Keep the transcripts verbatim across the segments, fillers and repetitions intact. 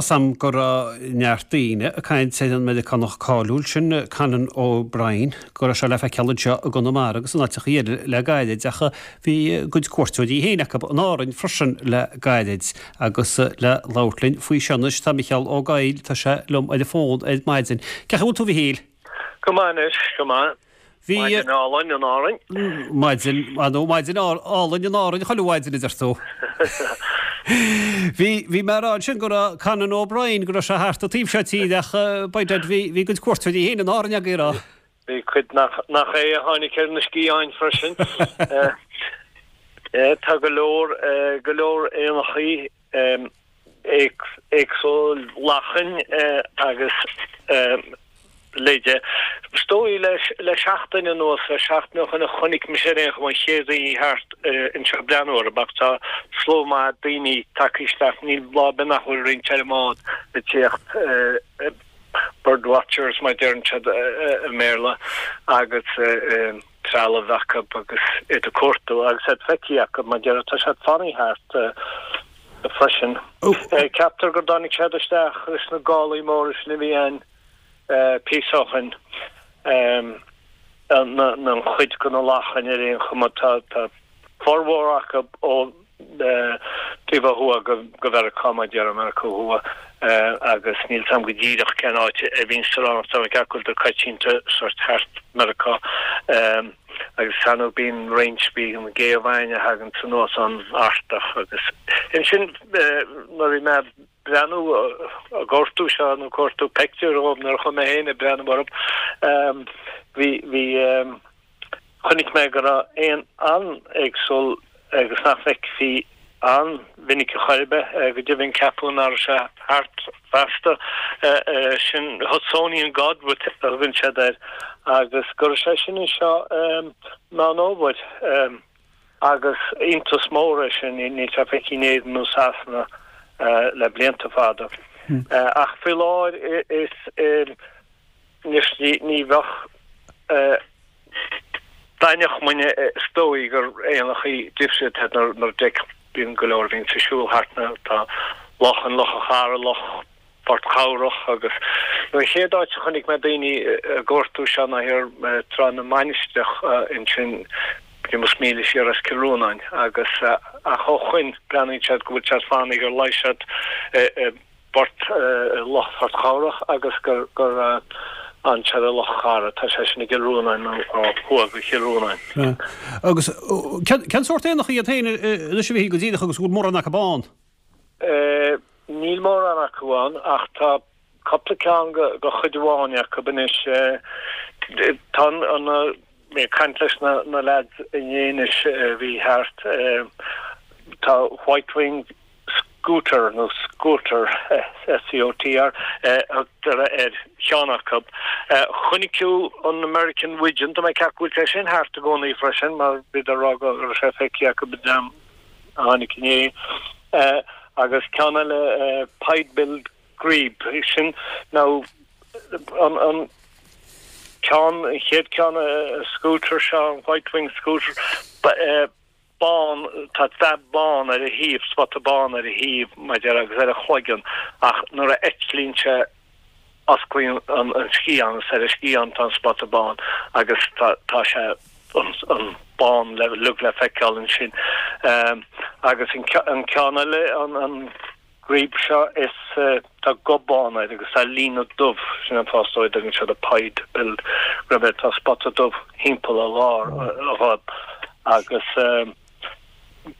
Sam go raibh neart daoine ag caint ar an Meiriceánach cáiliúil sin Conan O'Brien go raibh sé le feiceáil anseo i gConamara agus in áiteacha eile le gairid ach bhí a gcuid cuairteoirí féin acu in Árainn freisin le gairid agus le labhairt linn faoi seo anois tá Micheál Ó Gaill tá sé liom ar an bhfón ar maidin. Cén chaoi a bhfuil tú a Mhichíl? Go maith anois, go maith. Bhí Maidin álainn in Árainn. Maidin nó maidin álainn in Árainn chuile mhaidin a deir tú. Bhí bhí mé ag rá ansin go raibh Conan O'Brien go raibh sé thart an taobh seo tíre ach by dad bhí bhí a gcuid cuairteoirí féin in Árainn agaibh a rá. Bhí cuid nach nach é a tháinig ar na sciatháin freisin. Tá go leor go leor éanachaí éagsúil lachain agus leide. Is dóigh le seachtain anuas, le seachtain ó shin a chonaic mise ar aon chuma an chéad daoine thart anseo ag breathnú orthu ach tá slua maith daoine tagtha isteach, níl lá ar bith nach bhfuil roinnt ar an mbád ag tíocht, bird watchers mar a deireann siad i mBéarla, agus trealamh acu agus iad ag cuartú agus iad feicthe acu mar a déarfá, tá siad fanaithe thart freisin. Ceaptar go dtáinig siad isteach leis na gálaí móra sin a bhí ann píosa ó shin, an chuid de na lachain ar aon chuma, tá formhór acu ó taobh ó thuaidh go Mheiriceá, mar a déarfá, Meiriceá Thuaidh, agus níl 's a'm go díreach cén áit a bhíonn siad ann, tá mé ag ceapadh go bhfuil coitianta sórt thart Meiriceá, agus ar ndóigh bíonn roinnt, bíonn géabhainn a thaganns anuas ón Artach agus ansin nuair a bhí mé breathnú ag cuartú seo nó cuartú peictiúr dhóibh nuair a chuaigh mé féin ag breathnú orthu bhí bhí chonaic mé go raibh éan an-éagsúil agus nach bhfeicfí an-mhinic a chor ar bith, go deimhin ceapadh nach raibh sé thart feasta, sin Hudsonian Godwit a thugann siad air agus go raibh sé sin anseo Meán Fhómhair. Agus iontas mór é sin, níl sé feicthe in Éirinn nó Sasana le blianta fada. Ach faoi láthair is anois ní bheadh d'aithneodh muidne is dóigh gur éanachaí difriúil iad nuair a d'fheicfeadh, bíonn go leor a bhíonns ag siúl thart na, tá loch an Loch a' Chara, Loch Phort Chabhrach agus an chéad áit a chonaic mé daoine ag cuartú seo ná thiar Trá na Mainistreach ansin b'fhéidir míle siar as Cill Rónáin agus ach ó shoin breathnaíonn siad go bhfuil siad fanaithe gur luigh siad i bPort i Loch Phort Chabhrach agus gur gur fhan siad i Loch Chara tá sé sin i gCill Rónáin nó ó thuaidh go Chill Rónáin. Agus cén sórt éanacha iad féin anois a bhí go díreach agus go bhfuil mórán acu ann? Níl mórán acu ann ach tá cupla ceann de chuid amháin acu anois. Tá an, mé ag caint leis na leaids inné anois a bhí thart, tá white-winged scooter nó scoter, S-C-O-T-R, a thugtar ar cheann acu. Chonaic tú an American Wigeon, tá mé ag ceapadh go bhfuil sé sin thart i gcónaí freisin mar bhíodar ag rá go raibh sé feicthe acu an dream a tháinig inné. Agus ceann eile Pied-billed Grebe, sin nó an an ceann, an chéad ceann scoter seo, an white-winged scoter, bán, tá dath bán ar a thaobh, spota bán ar a thaobh, mar a déarfá, agus ar a chloigeann, ach nuair a eitlíonn sé osclaíonn an sciathán is ar a sciathán tá an spota bán agus tá tá sé an bán le uilig le feiceáil ansin. Agus an ceann eile, an grebe seo, is tá gob bán air agus tá líne dubh, sin an fáth is dóigh a dtugann siad a pied-billed grebe air, tá spota dubh thimpeall a lár, a ghob. Agus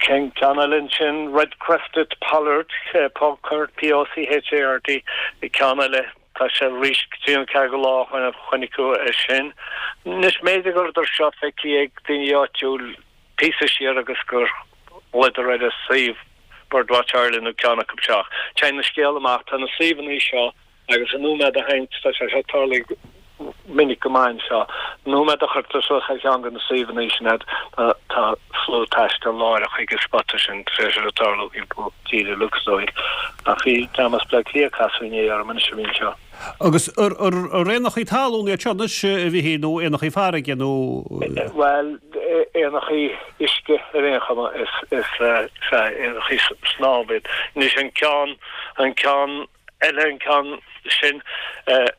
cén ceann eile ansin, red-crested pollard, pochard, P-O-C-H-A-R-D, ceann eile. Tá sé arís trí nó ceathair de lá ó shoin a chonaiceadh é sin. Anois, b'fhéidir go rabhadar seo feicthe ag daoine áitiúil píosa siar agus gur ghlaodar ar an suíomh Birdwatch Ireland nó ceann acu seo. Ach téann an scéal amach, tá na suíomhanna seo agus an nóiméad a théann, tá sé seo tarlaithe minic go maith anseo, an nóiméad a chuirtear suas ar cheann de na suíomhanna sin iad, tá slua taistil láithreach chuig an spota sin, tar éis é a tarlú thimpeall tíre uilig is dóigh. Ach bhí dream as Bleá Cliath ag casadh inné orm anois a bhí anseo. Agus ar éanachaí talún iad seo anois a Mhichíl nó éanachaí farraige nó? Bhuel, éanachaí uisce ar aon chuma is ea éanachaí snámha iad. Anois an ceann, an ceann eile an ceann sin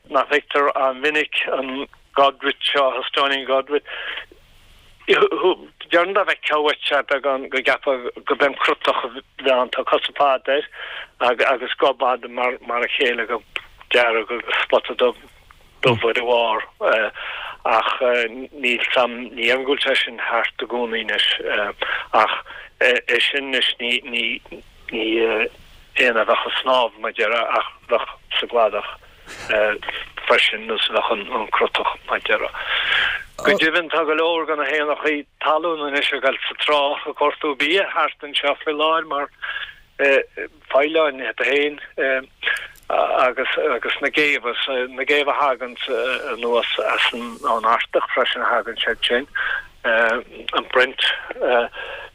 nach bhfeictear an-mhinic, an godwit seo, Houstonian godwit. Déarfainn dá bhfeicfeá uait é beagán go gceapfá gurb é an crotach a bhí ann, tá cosa fada air agus gob fada mar a chéile, gob dearg agus spota dubh dubh ar a bharr. Ach níl 'fhios a'm, ní dhéarfainn go bhfuil sé sin thart i gcónaí anois. Ach é sin anois ní ní ní éan a bheadh ag snámh mar a déarfá ach bheadh sa gcladach. freisin nós a bheadh an crotach mar a déarfá. Go deimhin tá go leor de na héanachaí talún anois ag dul sa trá ag cuartú bia thart anseo faoi láthair mar faoileáin iad féin agus agus na géabha, na géabha a thagann anuas as an Artach freisin a thagann siad sin, an brent,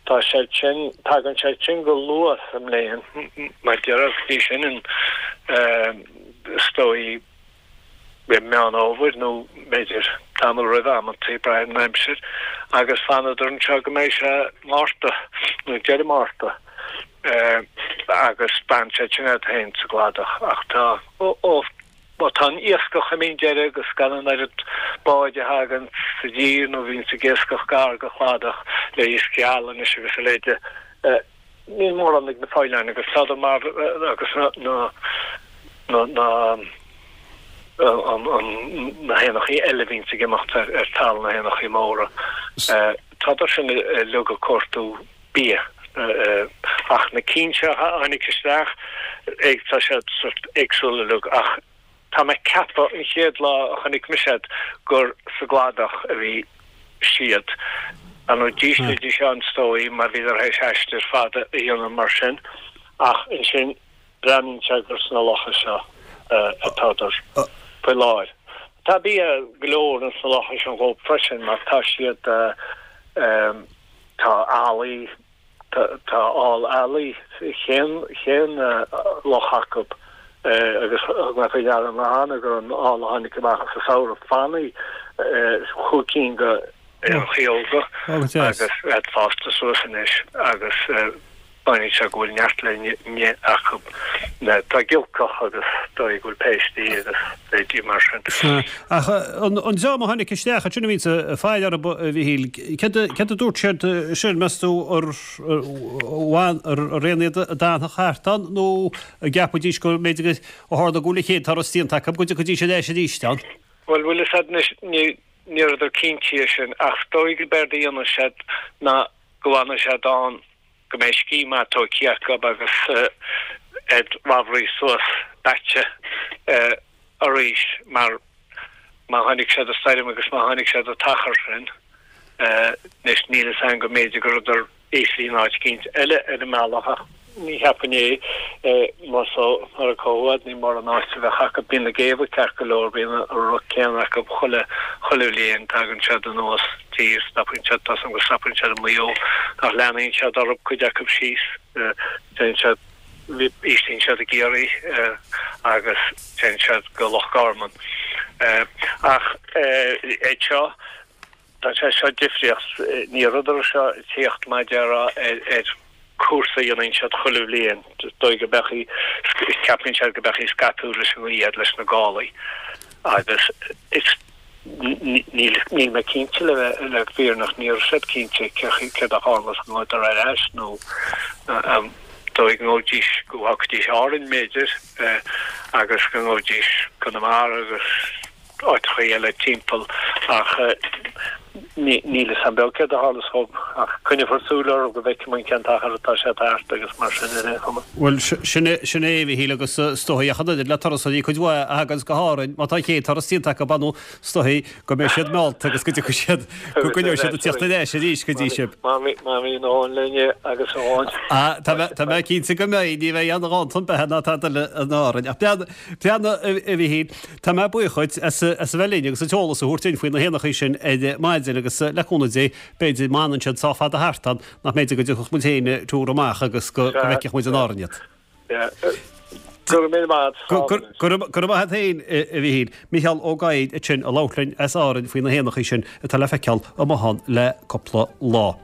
tá siad sin, tagann siad sin go luath sa mbliain mar a déarfá go dtí sin in is dóigh i Meán Fhómhair nó b'fhéidir tamall roimhe amantaí, ag brath ar an aimsir, agus fanadar anseo go mbeidh sé Márta nó deireadh Márta agus beathaíonn siad sin iad féin sa gcladach. Ach tá, ó, má tá an iascach imithe chun deiridh agus gan an oiread báid a thagann sa dtír nó bhíonns ag iascach gar go cladach le iasc geal anois agus a leithéide, Níl mórán ag na faoileáin agus tádar mar agus na na na na héanachaí eile a bhíonns ag imeacht ar ar talamh, na héanachaí móra. Tádar sin uilig ag cuartú bia ach na cinn seo a tháinig isteach tá siad sort éagsúil uilig ach Tá mé ag ceapadh an chéad lá a chonaic mise iad gur sa gcladach a bhí siad. Ar ndóigh d'íslídís ann is dóigh mar bhíodar théis aistear fada a dhéanamh mar sin ach ansin breathnaíonn sé gur sna locha seo atádar faoi láthair. Tá bia go leor ins na locha sin dhóibh freisin mar tá siad tá ealaí Tá ál ealaí chaon chaon loch acu agus thug mé faoi deara cheana gur an ál a tháinig amach sa samhradh fanaí chúig cinn de éanachaí óga agus iad fásta suas anois agus breathnaíonn sé go bhfuil neart le n-ithe acu. Tá giolcach agus dóigh go bhfuil péistí agus leithéidí mar sin. Sea. Ach an dream a tháinig isteach ansin a bhíonns ag faire orthu, a Mhichíl, céard a dúirt siad sin, meas tú, ar éin iad a d'fhanfadh thart ann nó an gceapfaidís go mb'fhéidir ó tharla go bhfuil an chéad turas déanta acu go dtiocfaidís ar ais arís ann? Bhuel, bhfuil fhios a'd anois, ní rabhadar cinnte dhe sin ach is dóigh gurb éard a dhéanfaidh siad ná go bhfanfaidh siad ann go mbeidh scíth maith tógtha acu agus iad ramhraithe suas beaite arís mar má tháinig siad an stoirm agus má tháinig siad an t-achar sin anois níl fhios a'm go mb'fhéidir go rabhadar íslithe in áit eicínt eile ar an mbealach ach ní cheapfainn é mar so mar a comhad ní mórán áit a bheadh acu. Bíonn na géabha ceart go leor, bíonn an rud céanna acu chuile chuile bhliain, tagann siad anuas tír, stopann siad, tá 's a'm go stopann siad i Maigh Eo ach leanaíonn siad orthu, cuid acu síos, téann siad, íslíonn siad i gCiarraí agus téann siad go Loch Garman. Ach é seo, Tá sé seo difríocht. Ní rabhadar seo ag tíocht mar a déarfá ar cúrsa a dhéanann siad chuile bhliain. Is dóigh go mbeadh, ceapann siad go mbeadh scaipeadh leis an ngaoth leis na gálaí agus is níl níl mé cinnte le bheith le fírinneach ní raibh siad cinnte céard a tharlós an ngabhadar ar ais nó an dóigh go ngabhaidís go bhfágfaidís Árainn b'fhéidir agus go ngabhaidís Conamara agus áiteachaí eile timpeall ach níl fhios a'm beo céard a tharlós dhób ach coinneofar súil orthu go bhfeicfidh muid cén t-achar atá siad thart agus mar sin ar aon chuma. Bhuel, sin é, sin é, a Mhichíl, agus is dóigh ach an oiread le turasóirí cuid mhaith a thaganns go hÁrainn, má tá an chéad turas déanta acu, ar ndóigh, is dóigh go mbeidh siad meallta agus go dtiocfaidh siad, go gcoinneoidh siad ag tíocht ar ais arís go dtí sibh. Má bhíonn a dhóthain le n-ithe agus a dhóthain. Ah, tá mé, tá mé cinnte go mbeidh, ní bheidh aon ghanntan beatha ná tada eile in Árainn. Ach breathnaigh, breathnaigh, a Mhichíl, Tá mé buíoch dhuit as a bheith linn agus an t-eolas a thabhairt duinn faoi na héanachaí sin ar maidin agus le cúnamh Dé b'fhéidir má fhanann siad sách fada thart ann nach mb'fhéidir go dtiocfadh muid féin tour amach agus go bhfeicfeadh muid in Árainn iad. Go raibh míle maith agat. Go raibh maith agat féin, a Mhichíl. Micheál Ó Gadhaigh ansin ag labhairt linn as Árainn faoi na héanachaí sin atá le feiceáil amuigh ann le cúpla lá.